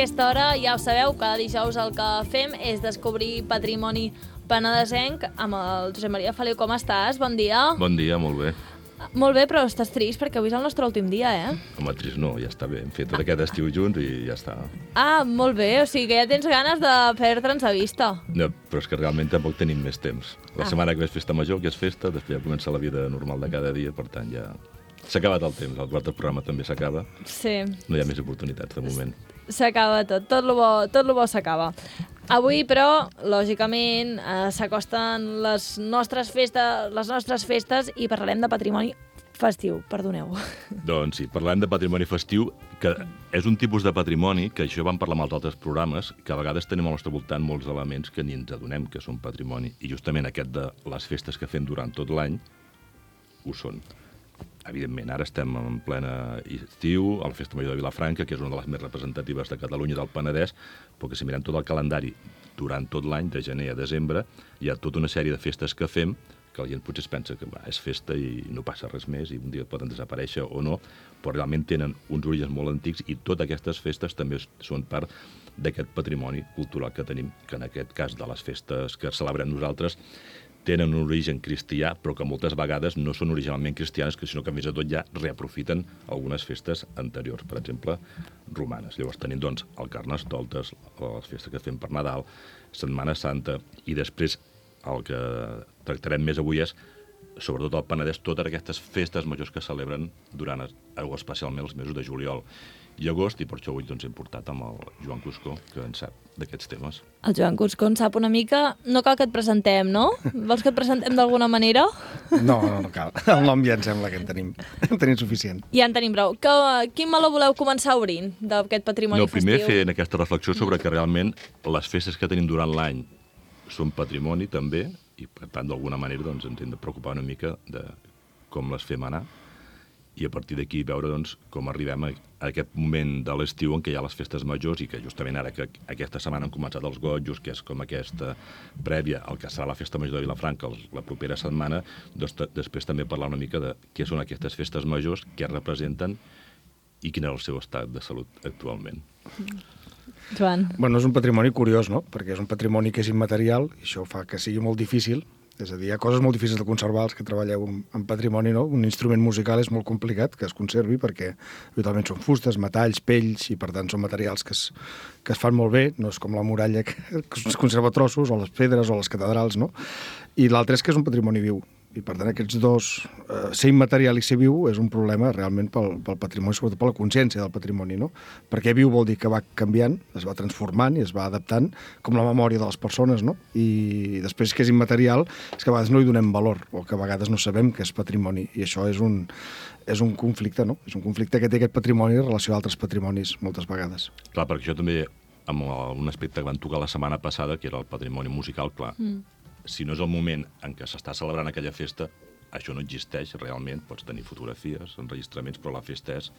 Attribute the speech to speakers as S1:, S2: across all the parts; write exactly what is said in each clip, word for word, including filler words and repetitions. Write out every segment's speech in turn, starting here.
S1: aquesta hora, ja ho sabeu, cada dijous el que fem és descobrir patrimoni penedesenc amb el Josep Maria Feliu. Com estàs? Bon dia.
S2: Bon dia, molt bé.
S1: Molt bé, però estàs trist perquè avui és el nostre últim dia, eh?
S2: Home, trist no, ja està bé. Hem fet tot aquest estiu junts i ja està.
S1: Ah, molt bé, o sigui que ja tens ganes de perdre'ns a vista.
S2: No, però és que realment tampoc tenim més temps. La
S1: Ah.
S2: setmana que ve és festa major, que és festa, després ja comença la vida normal de cada dia, per tant ja... S'ha acabat el temps, el quart programa també s'acaba.
S1: Sí.
S2: No hi ha més oportunitats, de moment.
S1: S'acaba tot, tot lo bo, tot lo bo s'acaba. Avui, però, lògicament, eh, s'acosten les nostres festes, les nostres festes i parlarem de patrimoni festiu, perdoneu.
S2: Doncs sí, parlem de patrimoni festiu, que és un tipus de patrimoni, que això vam parlar amb els altres programes, que a vegades tenim al nostre voltant molts elements que ni ens adonem que són patrimoni. I justament aquest de les festes que fem durant tot l'any ho són. Evidentment, ara estem en plena estiu, a la Festa Major de Vilafranca, que és una de les més representatives de Catalunya i del Penedès, però que si mirem tot el calendari durant tot l'any, de gener a desembre, hi ha tota una sèrie de festes que fem que la gent potser es pensa que va, és festa i no passa res més i un dia poden desaparèixer o no, però realment tenen uns orígens molt antics i totes aquestes festes també són part d'aquest patrimoni cultural que tenim, que en aquest cas de les festes que celebrem nosaltres tenen un origen cristià, però que moltes vegades no són originalment cristianes, sinó que més de tot ja reaprofiten algunes festes anteriors, per exemple, romanes. Llavors tenim doncs el Carnestoltes, les festes que fem per Nadal, Setmana Santa, i després el que tractarem més avui és, sobretot al Penedès, totes aquestes festes majors que celebren durant, especialment els mesos de juliol i agost, i per això avui doncs, hem portat amb el Joan Cuscó, que en sap d'aquests temes.
S1: El Joan Cuscó en sap una mica. No cal que et presentem, no? Vols que et presentem d'alguna manera?
S3: No, no, no cal. El nom ja em sembla que en tenim, en tenim suficient.
S1: Ja en tenim prou. Que, quin meló voleu començar obrint d'aquest patrimoni
S2: no, primer
S1: festiu?
S2: fer aquesta reflexió sobre que realment les festes que tenim durant l'any són patrimoni també, i per tant d'alguna manera doncs, ens hem de preocupar una mica de com les fem anar, i a partir d'aquí veure doncs, com arribem a, a aquest moment de l'estiu en què hi ha les festes majors i que justament ara que aquesta setmana han començat els gotjos, que és com aquesta prèvia al que serà la Festa Major de Vilafranca la propera setmana, doncs després també parlar una mica de què són aquestes festes majors, què representen i quin és el seu estat de salut actualment.
S1: Joan.
S3: Bueno, és un patrimoni curiós, no? Perquè és un patrimoni que és immaterial i això fa que sigui molt difícil. És a dir, hi ha coses molt difícils de conservar, els que treballeu en patrimoni, no? Un instrument musical és molt complicat que es conservi perquè habitualment són fustes, metalls, pells, i per tant són materials que es, que es fan molt bé, no és com la muralla que es conserva a trossos, o les pedres, o les catedrals, no? I l'altre és que és un patrimoni viu. I per tant aquests dos, eh, ser immaterial i ser viu és un problema realment pel, pel patrimoni, sobretot per la consciència del patrimoni, no? Perquè viu vol dir que va canviant, es va transformant i es va adaptant, com la memòria de les persones, no? I després que és immaterial és que a vegades no hi donem valor, o que a vegades no sabem que és patrimoni, i això és un, és un conflicte, no? És un conflicte que té aquest patrimoni en relació a altres patrimonis moltes vegades.
S2: Clar, perquè això també, amb un aspecte que van tocar la setmana passada, que era el patrimoni musical, clar, mm. si no és el moment en què s'està celebrant aquella festa, això no existeix realment, pots tenir fotografies, enregistraments, però la festa és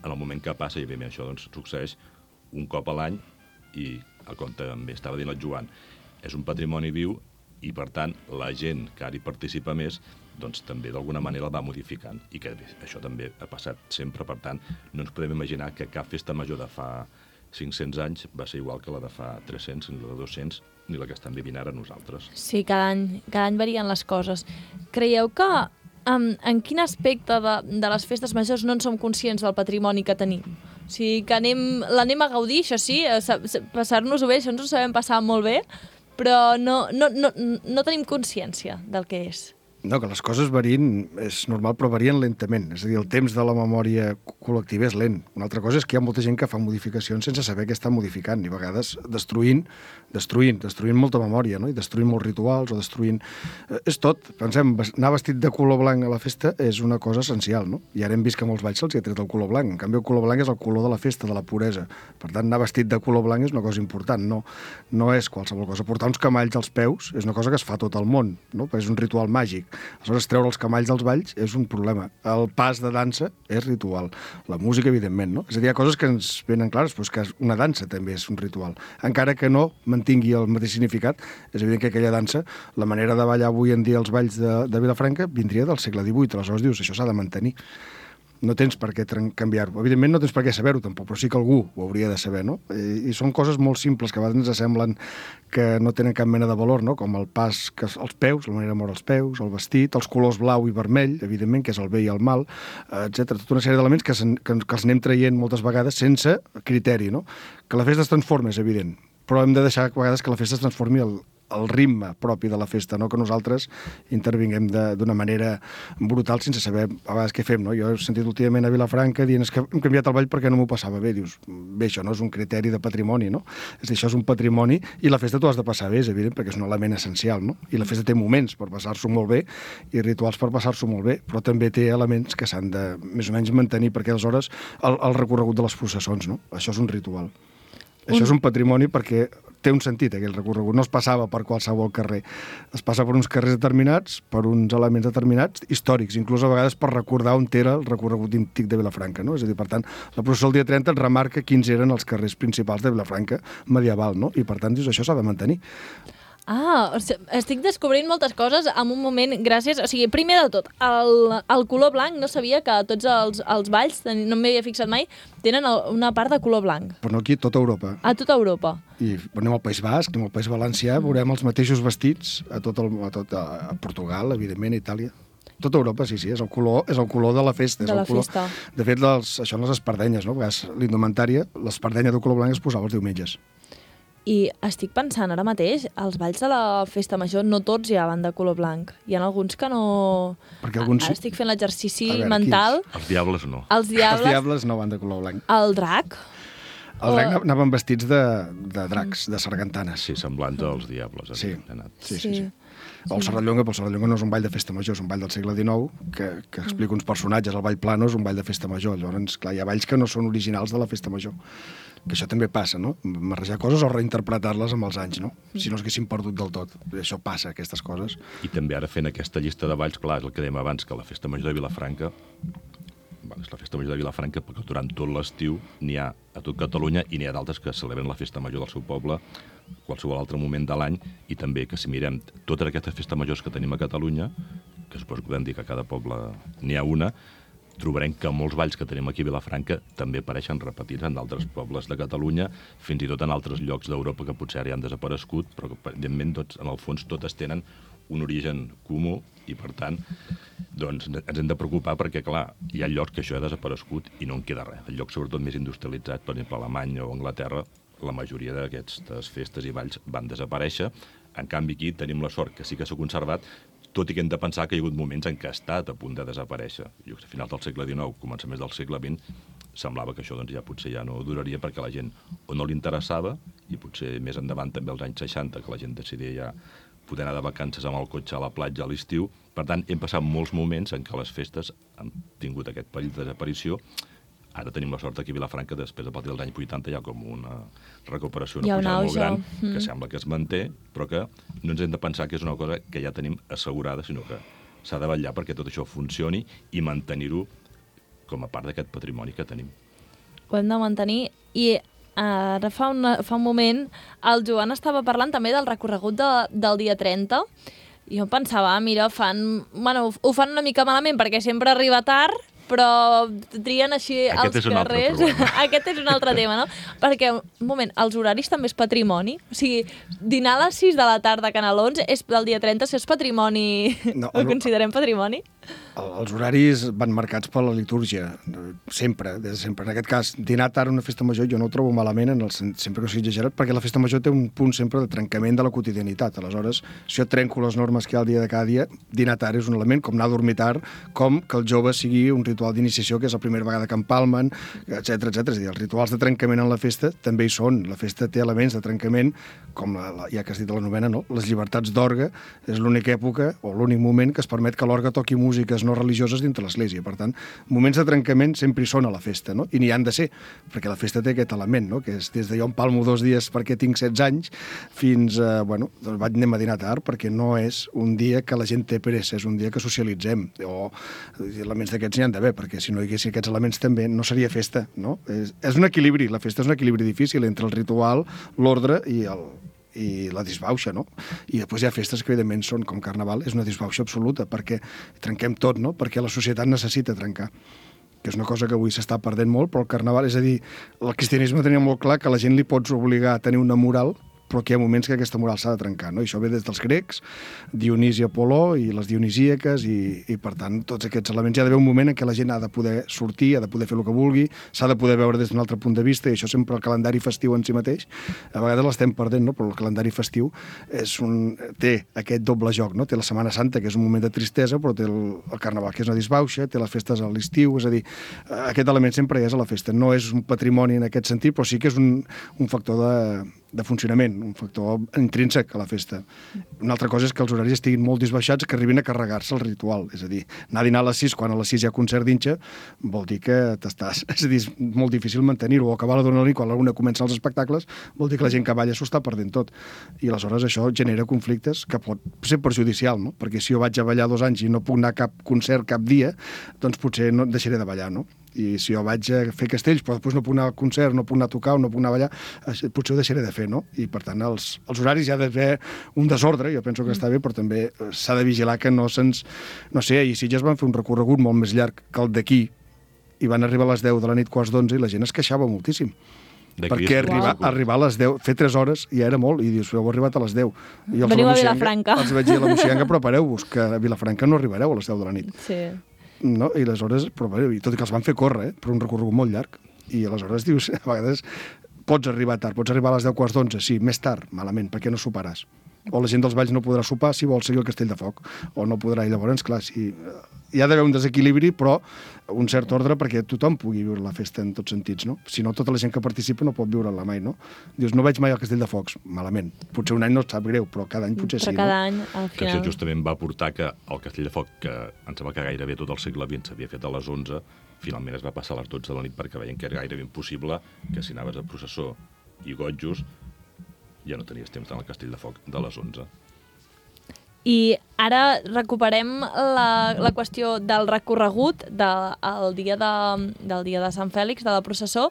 S2: en el moment que passa, i bé, això doncs, succeeix un cop a l'any, i com també estava dient el Joan, és un patrimoni viu, i per tant la gent que ara hi participa més doncs també d'alguna manera el va modificant, i que bé, això també ha passat sempre, per tant no ens podem imaginar que cap festa major de fa cinc-cents anys va ser igual que la de fa tres-cents, ni la de dos-cents, ni la que estan vivint ara nosaltres.
S1: Sí, cada any, cada any varien les coses. Creieu que um, en quin aspecte de, de les festes majors no en som conscients del patrimoni que tenim? O sigui, que anem, l'anem a gaudir, això sí, passar-nos-ho bé, això ens ho sabem passar molt bé, però no, no, no, no tenim consciència del que és.
S3: No, que les coses varien, és normal, però varien lentament. És a dir, el temps de la memòria col·lectiva és lent. Una altra cosa és que hi ha molta gent que fa modificacions sense saber què està modificant, i a vegades destruint, destruint, destruint molta memòria, no? I destruint molts rituals, o destruint... Eh, és tot. Pensem, anar vestit de color blanc a la festa és una cosa essencial, no? I ara hem vist que molts balls se'ls ha tret el color blanc. En canvi, el color blanc és el color de la festa, de la puresa. Per tant, anar vestit de color blanc és una cosa important, no, no és qualsevol cosa. Portar uns camalls als peus és una cosa que es fa a tot el món, no? Perquè és un ritual màgic. Aleshores, treure els camalls dels balls és un problema. El pas de dansa és ritual. La música, evidentment, no? És a dir, hi ha coses que ens venen clares, però és que una dansa també és un ritual. Encara que no mantingui el mateix significat, és evident que aquella dansa, la manera de ballar avui en dia els balls de, de Vilafranca, vindria del segle divuit. Aleshores dius, això s'ha de mantenir. no tens per què canviar-ho. Evidentment no tens per què saber-ho tampoc, però sí que algú ho hauria de saber, no? I, i són coses molt simples que a vegades ens semblen que no tenen cap mena de valor, no? Com el pas que els peus, la manera de moure els peus, el vestit, els colors blau i vermell, evidentment, que és el bé i el mal, etcètera. Tota una sèrie d'elements que, que, que els anem traient moltes vegades sense criteri, no? Que la festa es transforma, és evident, però hem de deixar a vegades que la festa es transformi el, el ritme propi de la festa, no que nosaltres intervinguem d'una manera brutal sense saber a vegades què fem, no? Jo he sentit últimament a Vilafranca dient que hem canviat el ball perquè no m'ho passava bé. Dius, bé, això no és un criteri de patrimoni, no? És dir, això és un patrimoni i la festa t'ho has de passar bé, és evident, perquè és un element essencial, no? I la festa té moments per passar-s'ho molt bé i rituals per passar-s'ho molt bé, però també té elements que s'han de més o menys mantenir, perquè aleshores el, el recorregut de les processons, no? Això és un ritual. Un... Això és un patrimoni perquè té un sentit, aquell recorregut. No es passava per qualsevol carrer. Es passa per uns carrers determinats, per uns elements determinats, històrics, inclús a vegades per recordar on era el recorregut antic de Vilafranca, no? És a dir, per tant, la processó el dia trenta et remarca quins eren els carrers principals de Vilafranca medieval, no? I per tant, dius, això s'ha de mantenir.
S1: Ah, o sigui, estic descobrint moltes coses en un moment, gràcies... O sigui, primer de tot, el, el color blanc, no sabia que tots els, els balls, no m'hi havia fixat mai, tenen una part de color blanc.
S3: Però no aquí, a tota Europa.
S1: A tota Europa.
S3: I anem al País Basc, anem al País Valencià, veurem els mateixos vestits a tot, el, a, tot a Portugal, evidentment, a Itàlia. Tota Europa, sí, sí, és el color, és el color de la festa.
S1: De
S3: és
S1: la
S3: el color.
S1: festa.
S3: De fet, les, això en les espardenyes, no? A vegades l'indumentària, l'espardenya de color blanc es posava els diumenges.
S1: I estic pensant ara mateix, els balls de la festa major no tots ja van de color blanc. Hi ha alguns que no...
S3: Perquè alguns...
S1: Ara estic fent l'exercici
S3: veure,
S1: mental.
S2: Els diables no.
S1: Els diables...
S3: Els diables no van de color blanc.
S1: El drac.
S3: El drac o... anaven vestits de, de dracs, de sargantanes.
S2: Sí, semblants als diables.
S3: Sí.
S2: Anat.
S3: Sí, sí, sí. O el Serrallonga, però el Serrallonga no és un ball de festa major, és un ball del segle dinou que, que explica uns personatges. El ball plano és un ball de festa major. Llavors, clar, hi ha balls que no són originals de la festa major. Que això també passa, no? Marrejar coses o reinterpretar-les amb els anys, no? Si no s'haguessin perdut del tot. Això passa, aquestes coses.
S2: I també ara fent aquesta llista de balls, clar, és el que dèiem abans, que la festa major de Vilafranca, bueno, és la festa major de Vilafranca perquè durant tot l'estiu n'hi ha a tot Catalunya i n'hi ha d'altres que celebren la festa major del seu poble qualsevol altre moment de l'any, i també que si mirem totes aquestes festes majors que tenim a Catalunya, que suposo que podem dir que a cada poble n'hi ha una, trobarem que molts balls que tenim aquí a Vilafranca també apareixen repetits en d'altres pobles de Catalunya, fins i tot en altres llocs d'Europa que potser ara ja han desaparegut, però que, evidentment, tots, en el fons, totes tenen un origen comú i, per tant, doncs, ens hem de preocupar perquè, clar, hi ha llocs que això ha desaparegut i no en queda res. El lloc, sobretot, més industrialitzat, per exemple, Alemanya o Anglaterra, la majoria d'aquestes festes i balls van desaparèixer. En canvi, aquí tenim la sort que sí que s'ha conservat, tot i que hem de pensar que hi ha hagut moments en què ha estat a punt de desaparèixer. Jo, a finals del segle dinou, començaments del segle vint, semblava que això doncs, ja potser ja no duraria perquè la gent o no li interessava, i potser més endavant també als anys seixanta, que la gent decidia ja poder anar de vacances amb el cotxe a la platja a l'estiu. Per tant, hem passat molts moments en què les festes han tingut aquest perill de desaparició. Ara tenim la sort aquí a Vilafranca, després a partir dels anys vuitanta hi ha com una recuperació, una pujada molt gran, mm. que sembla que es manté, però que no ens hem de pensar que és una cosa que ja tenim assegurada, sinó que s'ha de vetllar perquè tot això funcioni i mantenir-ho com a part d'aquest patrimoni que tenim.
S1: Ho hem de mantenir. I ara fa, una, fa un moment el Joan estava parlant també del recorregut de, del dia trenta, i jo pensava, mira, fan, bueno, ho fan una mica malament perquè sempre arriba tard, però trien així
S2: Aquest
S1: els carrers. Aquest és un altre tema, no? Perquè, un moment, els horaris també és patrimoni? O sigui, dinar a les sis de la tarda a Canalons és del dia trenta, si és patrimoni, no, ho considerem patrimoni?
S3: Els horaris van marcats per la litúrgia, sempre, des de sempre. En aquest cas, dinar tard a una festa major jo no ho trobo malament, en el, sempre que sigui exagerat, perquè la festa major té un punt sempre de trencament de la quotidianitat. Aleshores, si jo trenco les normes que hi ha al dia de cada dia, dinar tard és un element, com anar a dormir tard, com que el jove sigui un ritual d'iniciació, que és la primera vegada que empalmen, etcètera, etcètera. És a dir, els rituals de trencament en la festa també hi són. La festa té elements de trencament, com la, la, ja que has dit la novena, no? Les llibertats d'orgue és l'única època o l'únic moment que es permet que l'orgue toqui músiques no religioses dintre l'església. Per tant, moments de trencament sempre hi són a la festa, no? I n'hi han de ser, perquè la festa té aquest element, no? Que és des de jo empalmo dos dies perquè tinc setze anys fins a, bueno, doncs vaig anem a dinar tard, perquè no és un dia que la gent té pressa, és un dia que socialitzem, o elements d'aquests n'hi han d'haver, perquè si no hi haguessin aquests elements també no seria festa, no? És, és un equilibri, la festa és un equilibri difícil entre el ritual, l'ordre i el i la disbauxa, no? I després hi ha festes que, evidentment, són com Carnaval, és una disbauxa absoluta, perquè trenquem tot, no? Perquè la societat necessita trencar. que és una cosa que avui s'està perdent molt, però el carnaval, és a dir, el cristianisme tenia molt clar que la gent li pots obligar a tenir una moral, però que hi ha moments que aquesta moral s'ha de trencar, no? I això ve des dels grecs, Dionís i Apol·ló i les dionisíaques, i, i per tant, tots aquests elements. Hi ha d'haver un moment en què la gent ha de poder sortir, ha de poder fer el que vulgui, s'ha de poder veure des d'un altre punt de vista, i això sempre el calendari festiu en si mateix, a vegades l'estem perdent, no? Però el calendari festiu és un, té aquest doble joc, no? Té la Setmana Santa, que és un moment de tristesa, però té el, el Carnaval, que és una disbauxa, té les festes a l'estiu, és a dir, aquest element sempre hi és a la festa. No és un patrimoni en aquest sentit, però sí que és un, un factor de, de funcionament, un factor intrínsec a la festa. Una altra cosa és que els horaris estiguin molt disbaixats, que arribin a carregar-se el ritual. És a dir, anar a dinar a les sis, quan a les sis hi ha concert d'Inxa, vol dir que t'estàs... És a dir, és molt difícil mantenir-ho. O acabar la dona nit, quan alguna comença els espectacles, vol dir que la gent que balla s'ho està perdent tot. I aleshores això genera conflictes que pot ser perjudicial, no? Perquè si jo vaig a ballar dos anys i no puc anar a cap concert cap dia, doncs potser no deixaré de ballar, no? I si jo vaig a fer castells, però després no puc anar al concert, no puc anar a tocar o no puc anar a ballar, potser ho deixaré de fer, no? I, per tant, els, els horaris hi ha d'haver un desordre, jo penso que està bé, però també s'ha de vigilar que no se'ns... No sé, ahir Sitges van fer un recorregut molt més llarg que el d'aquí, i van arribar a les deu de la nit, quarts d'onze, i la gent es queixava moltíssim. Perquè arribar, arribar a les deu, fer tres hores ja era molt, i dius, heu arribat a les deu. I els
S1: Veniu a Vilafranca.
S3: Els vaig dir a la Moixiganga, prepareu-vos, que a Vilafranca no arribareu a les deu de la nit.
S1: Sí.
S3: No? I aleshores, però, i tot i que els van fer córrer, eh? Per un recorregut molt llarg, i aleshores dius, a vegades pots arribar tard, pots arribar a les deu quarts d'onze, sí, més tard, malament, perquè no soparàs. O la gent dels valls no podrà sopar si vol seguir el Castell de Foc, o no podrà, i llavors, clar, si... hi ha d'haver un desequilibri, però un cert ordre perquè tothom pugui viure la festa en tots sentits, no? Si no, tota la gent que participa no pot viure-la mai, no? Dius, no veig mai el Castell de Focs, malament. Potser un any no et sap greu, però cada any potser
S1: però
S3: sí,
S1: cada
S3: no?
S1: any, al
S2: Que
S1: final...
S2: això justament va portar que el Castell de Foc, que em sembla que gairebé tot el segle vint s'havia fet a les onze, finalment es va passar a les dotze de la nit perquè veien que era gairebé impossible que si anaves a processó i gotjos ja no tenies temps d'anar al Castell de Foc de les onze.
S1: I ara recuperem la, la qüestió del recorregut de, el dia de, del dia de Sant Fèlix, de la processó.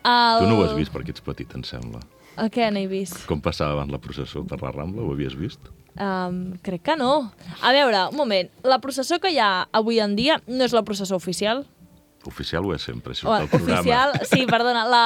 S1: El...
S2: Tu no ho has vist perquè ets petit, em sembla.
S1: El què n'he vist?
S2: Com passava abans la processó per la Rambla? Ho havies vist?
S1: Um, crec que no. A veure, un moment. La processó que hi ha avui en dia no és la processó oficial?
S2: Oficial ho és sempre, si
S1: O,
S2: surt el programa.
S1: oficial, sí, perdona, la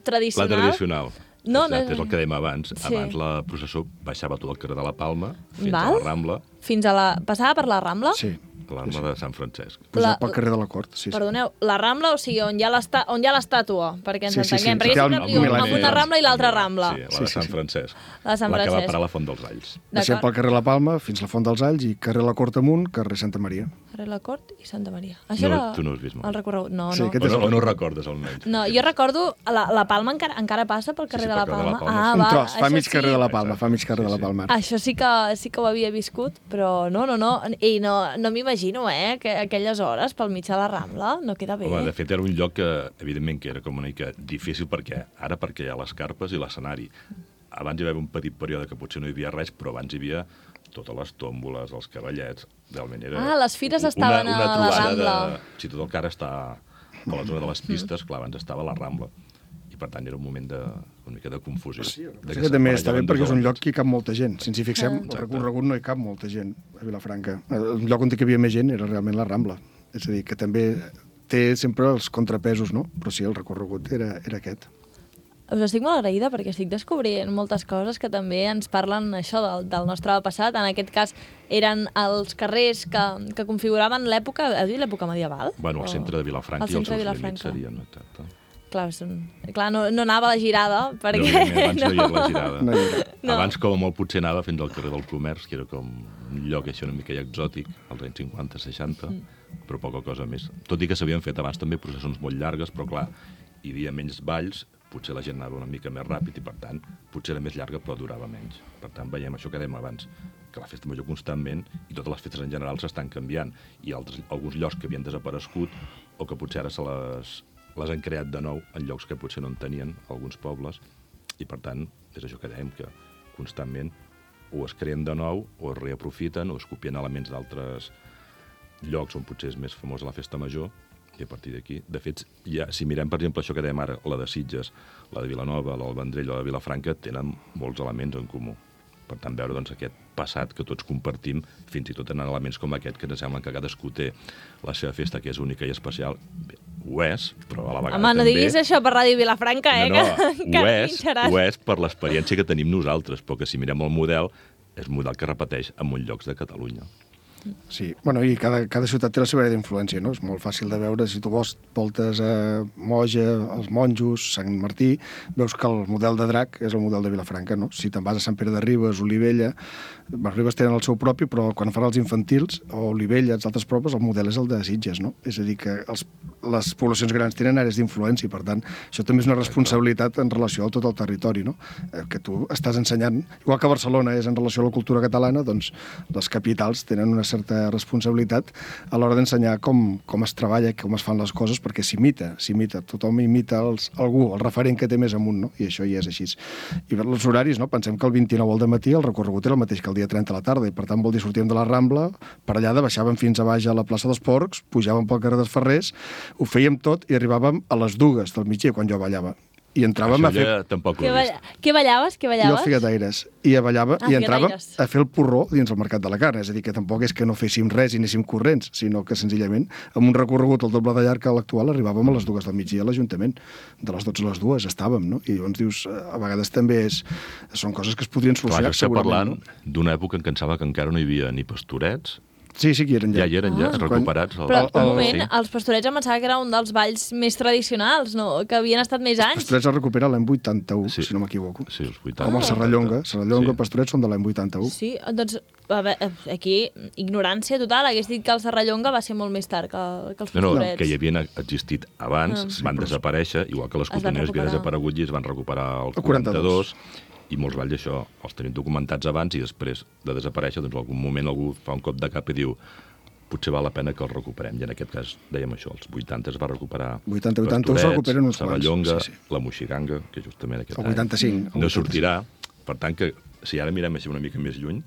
S1: tradicional.
S2: La tradicional.
S1: No,
S2: Exacte,
S1: no...
S2: és el que dèiem abans.
S1: Sí.
S2: Abans la processó baixava tot el carrer de la Palma fins
S1: Val.
S2: a la Rambla,
S1: Fins a la... Passava per la Rambla?
S3: Sí.
S2: a l'Arma de Sant Francesc.
S3: Pujar
S1: La-
S3: pel carrer de la Cort, sí, sí.
S1: Perdoneu, la Rambla, o sigui, on hi ha l'esta- on hi ha l'estàtua, perquè ens
S3: Sí, sí, sí,
S1: entenguem. Perquè
S3: que té
S1: jo
S3: el
S1: sempre diu
S3: mil·lenni.
S1: amb una Rambla i l'altra Rambla.
S2: Sí, la
S3: Sí,
S2: de
S3: sí,
S2: Sant
S3: sí.
S2: Francesc.
S1: La de Sant
S2: La que va
S1: Francesc.
S2: parar a la Font dels Alls.
S3: Deixem pel
S1: D'acord.
S3: carrer La Palma fins la Font dels Alls i carrer La Cort amunt, carrer Santa Maria.
S1: Carrer La Cort i Santa Maria. Això
S2: No,
S1: era
S2: tu no has vist mai.
S1: el recorregut. No,
S3: Sí,
S1: no.
S3: aquest
S2: O
S3: és
S2: no,
S3: el-
S2: o no ho recordes, almenys.
S1: No, jo recordo, la, la Palma encara, encara passa pel carrer
S2: sí,
S1: de la
S2: pel carrer de
S1: Palma.
S2: la Palma,
S1: Ah,
S3: Un
S1: va,
S3: tros, fa
S1: això
S3: mig
S1: sí.
S3: carrer de la Palma, fa mig carrer
S2: Sí,
S3: de la
S2: sí.
S3: Palma.
S1: Això sí que, sí que ho havia viscut, però no, no, no. I no, no m'imagino, eh, que aquelles hores pel mig de la Rambla no queda bé.
S2: Home, de fet, era un lloc que, evidentment, que era com una mica difícil perquè ara perquè hi ha les carpes i l'escenari. Abans hi va haver un petit període que potser no hi havia res, però abans hi havia totes les tòmboles, els cavallets... Realment era...
S1: Ah, les fires
S2: una-
S1: estaven
S2: una
S1: a la
S2: trobada
S1: Rambla.
S2: De, si tot el que ara està a la zona de les pistes, clar, abans estava a la Rambla. I, per tant, era un moment de, una mica de confusió.
S3: Sí,
S2: de
S3: que també està bé
S2: barrejaven
S3: perquè és
S2: dos
S3: un lloc
S2: elements.
S3: que hi cap molta gent. Si ens hi fixem,
S1: Ah.
S3: el recorregut no hi cap molta gent a Vilafranca. El lloc on hi havia més gent era realment la Rambla. És a dir, que també té sempre els contrapesos, no? Però sí, el recorregut era, era aquest.
S1: Us estic molt agraïda perquè estic descobrint moltes coses que també ens parlen això del, del nostre passat. En aquest cas eren els carrers que, que configuraven l'època, heu dit l'època medieval?
S2: Bueno, el
S1: O-
S2: centre de Vilafranca
S1: el
S2: i els
S1: centre de
S2: seus límits
S1: Vilafranca.
S2: serien, exacte.
S1: Clar, és un... Clar no, no anava a la girada, perquè...
S2: No, abans no hi havia la girada.
S3: No hi era.
S1: No.
S2: Abans, com a molt, potser anava fins al carrer del Comerç, que era com un lloc així una mica exòtic, als anys cinquanta seixanta, mm. però poca cosa més. Tot i que s'havien fet abans també processons molt llargues, però clar, hi havia menys balls, potser la gent anava una mica més ràpid i, per tant, potser era més llarga però durava menys. Per tant, veiem això que dèiem abans, que la festa major constantment i totes les festes en general s'estan canviant i altres, alguns llocs que havien desaparegut o que potser ara se les, les han creat de nou en llocs que potser no en tenien alguns pobles i, per tant, és això que dèiem, que constantment o es creen de nou o es reaprofiten o es copien elements d'altres llocs on potser és més famosa la festa major i a partir d'aquí, de fet, ja, si mirem, per exemple, això que dèiem ara, la de Sitges, la de Vilanova, la del Vendrell o la de Vilafranca, tenen molts elements en comú. Per tant, veure doncs, aquest passat que tots compartim, fins i tot en elements com aquest, que ens sembla que cadascú té la seva festa, que és única i especial. Bé, ho és, però a la vegada
S1: Home, no
S2: també...
S1: diguis això per Ràdio Vilafranca, eh?
S2: No, no,
S1: que, que
S2: ho, és,
S1: pinxaràs.
S2: ho és per l'experiència que tenim nosaltres, però que si mirem el model, és un model que repeteix en molts llocs de Catalunya.
S3: Sí, bueno, i cada, cada ciutat té la seva àrea d'influència, no? És molt fàcil de veure, si tu vols voltes a Moja, els Monjos, Sant Martí, veus que el model de drac és el model de Vilafranca, no? Si te'n vas a Sant Pere de Ribes, Olivella, els Ribes tenen el seu propi, però quan fan els infantils, o Olivella, els altres propis, el model és el de Sitges, no? És a dir, que els, les poblacions grans tenen àrees d'influència, per tant, això també és una responsabilitat en relació a tot el territori, no? Eh, que tu estàs ensenyant, igual que Barcelona és en relació a la cultura catalana, doncs les capitals tenen una certa responsabilitat a l'hora d'ensenyar com, com es treballa, com es fan les coses, perquè s'imita, s'imita, tothom imita els, algú, el referent que té més amunt, no? I això ja és així. I per els horaris, no? Pensem que el vint-i-nou al dematí el recorregut era el mateix que el dia trenta a la tarda, i per tant vol dir sortíem de la Rambla, per allà baixàvem fins a baix a la plaça dels Porcs, pujàvem pel carrer dels Ferrers, ho fèiem tot i arribàvem a les dues del migdia quan jo ballava. I entràvem
S2: Això
S3: a fer...
S2: ja tampoc ho
S1: Què,
S2: he
S1: balla...
S2: vist.
S1: Què ballaves? Què
S3: I
S1: ballaves?
S3: els figataires. I a ballava,
S1: Ah,
S3: i entràvem
S1: figataires.
S3: a fer el porró dins el Mercat de la Carn. És a dir, que tampoc és que no féssim res i anéssim corrents, sinó que senzillament, amb un recorregut al doble de llarg que l'actual, arribàvem a les dues del migdia a l'Ajuntament. De les dotze a les dues estàvem, no? I llavors dius, a vegades també és... són coses que es podrien
S2: Clar,
S3: solucionar,
S2: jo estic
S3: segurament.
S2: parlant d'una època en què em sembla que encara no hi havia ni pastorets.
S3: Sí, sí que hi eren ja.
S2: Ja hi eren, ja,
S1: Ah.
S2: recuperats. El,
S1: Però, un
S3: el-
S1: moment,
S2: sí.
S1: els pastorets em pensava que era un dels balls més tradicionals, no? Que havien estat més anys.
S3: Pastorets es recupera l'any vuitanta-u,
S2: Sí.
S3: si no m'equivoco.
S2: Sí, els vuitanta.
S3: Com el Serrallonga. Serrallonga,
S2: Sí.
S3: Pastorets són de l'any vuitanta-u.
S1: Sí, doncs, a veure, aquí, ignorància total. Hagués dit que el Serrallonga va ser molt més tard que, que els
S2: No, no,
S1: pastorets.
S2: que hi havien existit abans,
S1: Ah.
S2: van desaparèixer, igual que les
S1: Es van
S2: cotoneres havien
S1: recuperar.
S2: desaparegut i es van recuperar el
S3: El quaranta-dos.
S2: quaranta-dos, i molts balls això els tenim documentats abans i després de desaparèixer, doncs en algun moment algú fa un cop de cap i diu potser val la pena que els recuperem. I en aquest cas dèiem això, els vuitanta es va recuperar
S3: vuitanta vuitanta es recuperen uns quants,
S2: Serrallonga,
S3: sí, sí.
S2: la Moixiganga, que justament aquest
S3: El
S2: any
S3: vuitanta-cinc, el
S2: no sortirà. Per tant, que si ara mirem així una mica més lluny,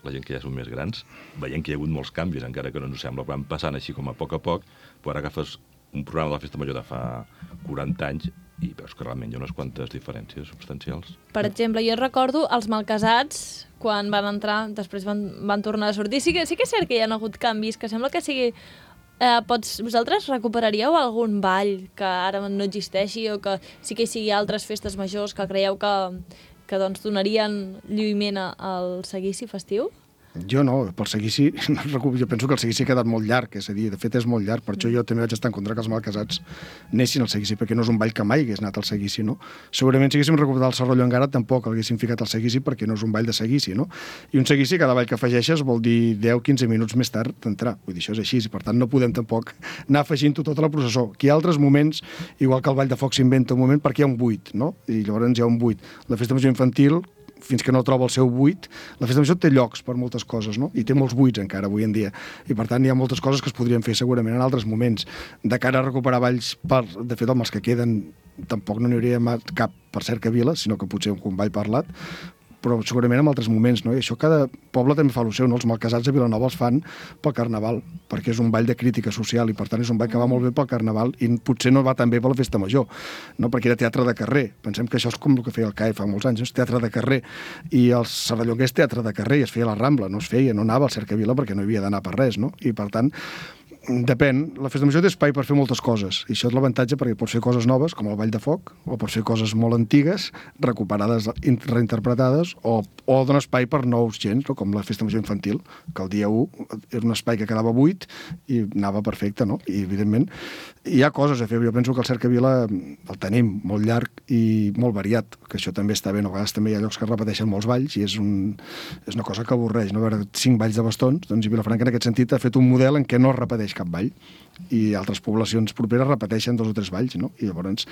S2: la gent que ja són més grans, veiem que hi ha hagut molts canvis, encara que no ens sembla, van passant així com a poc a poc, però ara agafes un programa de la Festa Major de fa quaranta anys i veus que realment hi ha unes quantes diferències substancials.
S1: Per exemple, jo recordo els malcasats, quan van entrar, després van, van tornar a sortir. Sí que, sí que és cert que hi ha hagut canvis, que sembla que sigui... Eh, pots, vosaltres recuperaríeu algun ball que ara no existeixi o que sí que hi sigui altres festes majors que creieu que, que doncs, donarien lluïment a- al seguici festiu?
S3: Jo no, pel seguici, no recu- jo penso que el seguici ha quedat molt llarg, és a dir, de fet és molt llarg, per això jo també vaig estar en contra que els malcasats anessin al seguici, perquè no és un ball que mai hagués anat al seguici, no? Segurament si haguéssim recuperat el Serralló encara tampoc l'haguéssim ficat al seguici perquè no és un ball de seguici, no? I un seguici, cada ball que afegeixes vol dir deu a quinze minuts més tard d'entrar, vull dir, això és així, i per tant no podem tampoc anar afegint-ho tota la processó. Aquí hi ha altres moments, igual que el ball de foc s'inventa un moment perquè hi ha un buit, no? I llavors hi ha un buit. La festa major infantil, fins que no troba el seu buit, la festa major té llocs per moltes coses, no? I té molts buits encara avui en dia. I per tant hi ha moltes coses que es podrien fer segurament en altres moments. De cara a recuperar balls, per, de fet, amb els que queden tampoc no n'hi hauria cap per Cercavila, sinó que potser un ball parlat, però segurament en altres moments, no? I això cada poble també fa el seu, no? Els malcasats de Vilanova els fan pel Carnaval, perquè és un ball de crítica social i per tant és un ball que va molt bé pel Carnaval i potser no va tan bé per la festa major, no? Perquè era teatre de carrer. Pensem que això és com el que feia el C A E fa molts anys, és teatre de carrer. I el Serrallonga és teatre de carrer i es feia a la Rambla, no es feia, no anava al Cercavila perquè no havia d'anar per res, no? I per tant, depèn, la festa major té espai per fer moltes coses i això és l'avantatge perquè pots fer coses noves com el ball de foc o pots fer coses molt antigues recuperades, reinterpretades o, o dona espai per nous gens, no? Com la festa major infantil, que el dia u era un espai que quedava buit i anava perfecte, no? I evidentment hi ha coses a fer, jo penso que el Cercavila el tenim molt llarg i molt variat, que això també està bé, no? A vegades també hi ha llocs que repeteixen molts balls i és, un, és una cosa que avorreix, no? A veure, cinc balls de bastons, doncs Vilafranca en aquest sentit ha fet un model en què no es repeteix cap ball i altres poblacions properes repeteixen dos o tres balls, no? I llavors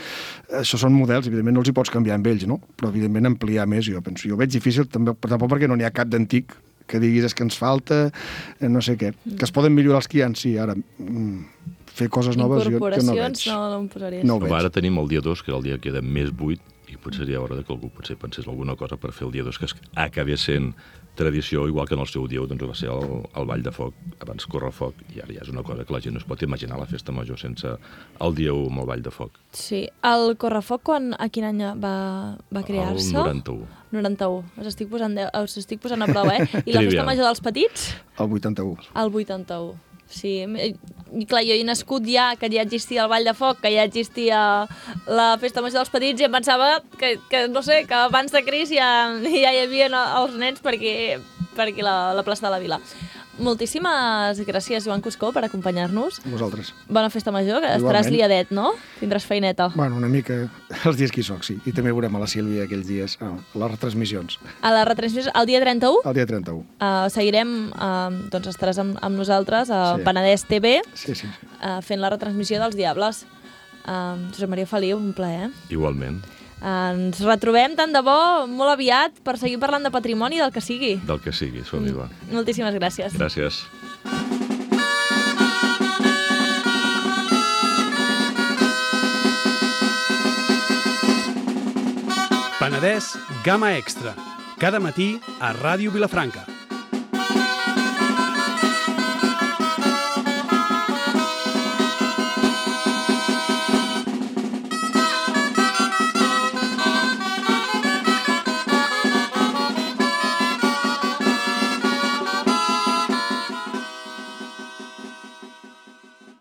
S3: això són models, evidentment no els hi pots canviar amb ells, no? Però evidentment ampliar més, jo penso, jo ho veig difícil també, però tampoc perquè no n'hi ha cap d'antic que diguis és que ens falta eh, no sé què, que es poden millorar els que hi ha, sí, ara mm, fer coses noves jo que no veig.
S1: Incorporacions no, no em posaria.
S3: No ho veig.
S2: Ara tenim el dia dos, que era el dia que queda més buit, i potser seria hora que algú potser pensés alguna cosa per fer el dia dos, que acabés sent tradició, igual que en el seu dia doncs, va ser el, el Ball de Foc, abans Correfoc, i ara ja és una cosa que la gent no es pot imaginar, la festa major sense el dia u amb el Ball de Foc.
S1: Sí. El Correfoc, quan, a quin any va, va crear-se?
S2: El noranta-u.
S1: noranta-u. Us estic posant, de, us estic posant a prova, eh? I la festa major dels petits?
S3: El vuitanta-u.
S1: El vuitanta-u. Sí, i clar, jo he nascut ja, que ja existia el Ball de Foc, que ja existia la festa major dels petits, i em pensava que, que no sé, que abans de Cris ja, ja hi havia els nens perquè, perquè la, la plaça de la Vila. Moltíssimes gràcies, Joan Cuscó, per acompanyar-nos.
S3: Vosaltres.
S1: Bona festa major, que
S3: Igualment.
S1: Estaràs liadet, no? Tindràs feineta.
S3: Bueno, una mica els dies que hi soc, sí. I també veurem a la Sílvia aquells dies, a les retransmissions.
S1: A la retransmissió, el dia trenta-u,
S3: El dia trenta-u.
S1: uh, seguirem, uh, doncs estaràs amb, amb nosaltres a
S3: Sí.
S1: Penedès T V,
S3: Sí, sí.
S1: uh, fent la retransmissió dels Diables. Uh, Josep Maria Feliu, un plaer.
S2: Igualment,
S1: Ens retrobem tant de bo molt aviat per seguir parlant de patrimoni del que sigui.
S2: del que sigui, som-hi, va.
S1: Moltíssimes gràcies.
S2: Gràcies.
S4: Penedès Gamma Extra. Cada matí a Ràdio Vilafranca.